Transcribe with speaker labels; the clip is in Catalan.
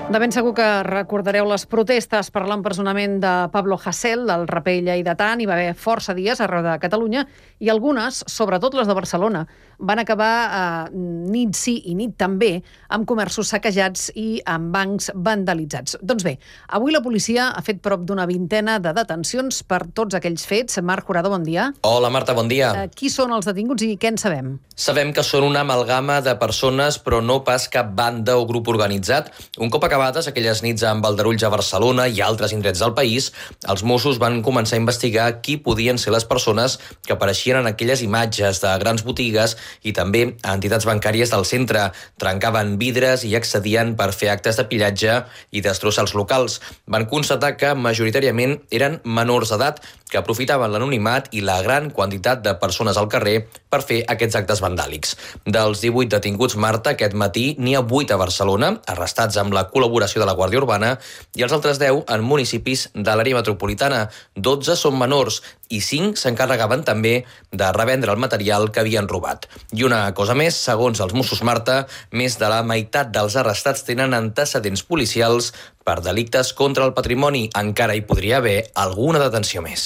Speaker 1: De ben segur que recordareu les protestes per l'empresonament de Pablo Hasél, del raper lleidatà. Hi va haver força dies arreu de Catalunya i algunes, sobretot les de Barcelona, van acabar nit sí i nit també amb comerços saquejats i amb bancs vandalitzats. Doncs bé, avui la policia ha fet prop d'una vintena de detencions per tots aquells fets. Marc Jurado, bon dia.
Speaker 2: Hola, Marta, bon dia.
Speaker 1: Qui són els detinguts i què en sabem?
Speaker 2: Sabem que són una amalgama de persones, però no pas cap banda o grup organitzat. Un cop acabades aquelles nits amb aldarulls a Barcelona i altres indrets del país, els Mossos van començar a investigar qui podien ser les persones que apareixien en aquelles imatges de grans botigues i també a entitats bancàries del centre. Trencaven vidres i accedien per fer actes de pillatge i destrossar els locals. Van constatar que majoritàriament eren menors d'edat que aprofitaven l'anonimat i la gran quantitat de persones al carrer per fer aquests actes vandàlics. Dels 18 detinguts, Marta, aquest matí n'hi ha 8 a Barcelona, arrestats amb la col·laboració de la Guàrdia Urbana, i els altres 10 en municipis de l'àrea metropolitana. 12 són menors i 5 s'encarregaven també de revendre el material que havien robat. I una cosa més, segons els Mossos, Marta, més de la meitat dels arrestats tenen antecedents policials per delictes contra el patrimoni. Encara hi podria haver alguna detenció més.